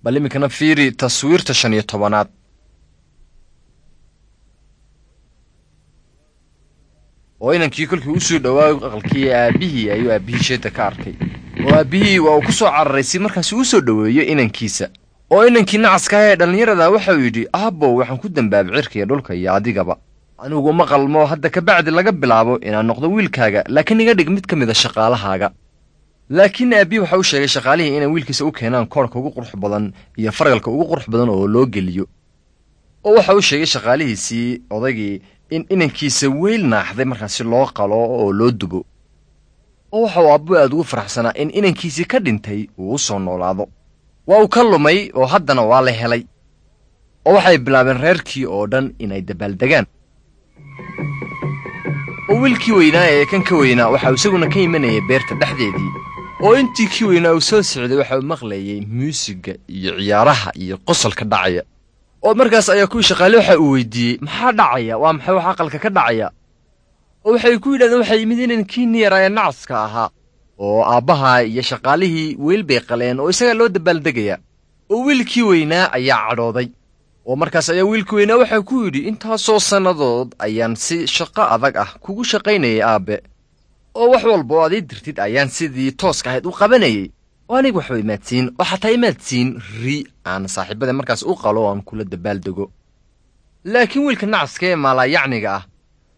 Bal iminkana fiiri taswiirta 15aad. Oo inankii kolkii u soo dhowaa aqalkii aabbihii ayuu aabbihii sheeda ka arkay, oo aabbihii waa uu ku soo cararay si markaasi u soo dhoweeyo inankiisa. Oo inankii nacaska ah ee dhallinyarada waxauu yidhi, aabbow, waxaan ku dembaabay cirka iyo dhulka iyo adigaba. Anigu ma qalmo hadda kabacdi laga bilaabo inaan noqdo wiilkaaga, laakiin iga dhig mid ka mid a shaqaalahaaga. Laakiin aabbihi waxa u sheegay shaqaalihii inay wiilkiisa u keenaan koorhka ugu qurux badan iyo fargalka ugu qurux badan oo loo geliyo. Oo waxa uu sheegay shaqaalihiisii odaygii in inankiisa weyl naaxday markaasi loo qalo oo loo dubo. Oo waxa uu aabbuhu aad ugu faraxsanaa in inankiisii ka dhintay uu u soo noolaado. Waa uu ka lumay oo haddana waa la helay. Oo waxay bilaabeen reerkii oo dhan inay dabaaldegaan. Oo wiilkii weynaa ee kan ka weynaa waxa uu isaguna ka imanayay beerta dhexdeedii. Oo intii kii weynaa uu soo socday waxa uu maqlayay muusiga iyo ciyaaraha iyo qosolka dhacaya. Oo markaas ayaa kuwii shaqaale waxa uu weydiiyey, maxaa dhacaya? Waa maxay wax aqalka ka dhacaya? Oo waxay ku yidhahdeen, waxay yimid inankii yaraa ee nacaska ahaa, oo aabbaha iyo shaqaalihii weyl bay qaleen oo isagaa loo dabaaldegayaa. Oo wiilkii weynaa ayaa cadhooday. Oo markaas ayaa wiilkii weynaa waxaa ku yidhi, intaasoo sannadood ayaan si shaqo adag ah kugu shaqaynayay aabbe, oo wax walba oo aad ii dirtid ayaan sidii tooska ahayd u qabanayay, oo aniga waxba imaadsiin, oo xataa imaadsiin ri aan saaxiibada markaas u qalo oo aan kula dabaaldego. Laakiin wiilka nacaska ee maalaayacniga ah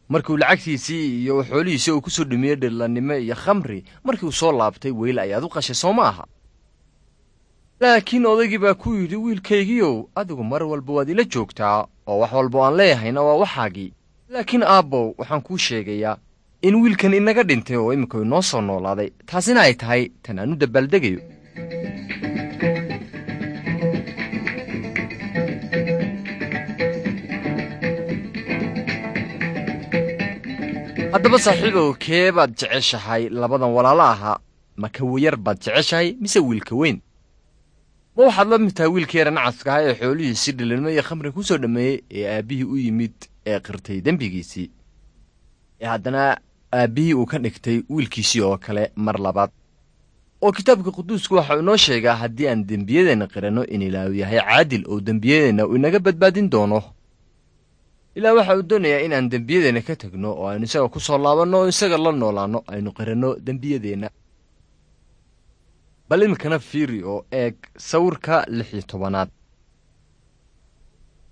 markiuu lacagtiisii iyo xoolihiisii uu ku soo dhumiyey dhillannimo iyo khamri, markii uu soo laabtay weyl ayaad u qashay, soo ma aha? Laakiin odaygii baa ku yidhi, wiilkaygiiow, adigu mar walba waad ila joogtaa, oo wax walba aan leeyahayna waa waxaagii. Laakiin aabbow, waxaan kuu sheegayaa in wiilkan inaga dhintay oo imika inoo soo noolaaday, taasina ay tahay tan aan u dabaaldegayo. Haddaba saaxiibow, kee baad jeceshahay labadan walaalo ahaa? Ma ka yar baad jeceshahay mise wiilka weyn? Ma waxaad la mid tahay wiilka yara nacaska ahaa ee xoolihiisii dhilinimo iyo khamri ku soo dhammeeyey ee aabbihii u yimid ee qirtay dembigiisii, ee haddana aabbihii uu ka dhigtay wiilkiisii oo kale mar labaad? Oo kitaabka quduusku waxa uu inoo sheegaa haddii aan dembiyadeenna qiranno in Ilaahu yahay caadil oo dembiyadeenna uu inaga badbaadin doono. Ilaah waxa uu doonayaa in aan dembiyadeenna ka tegno oo aynu isaga ku soo laabanno oo isaga la noolaanno, aynu qiranno dembiyadeenna. Bal iminkana fiiri oo eeg sawirka 16aad.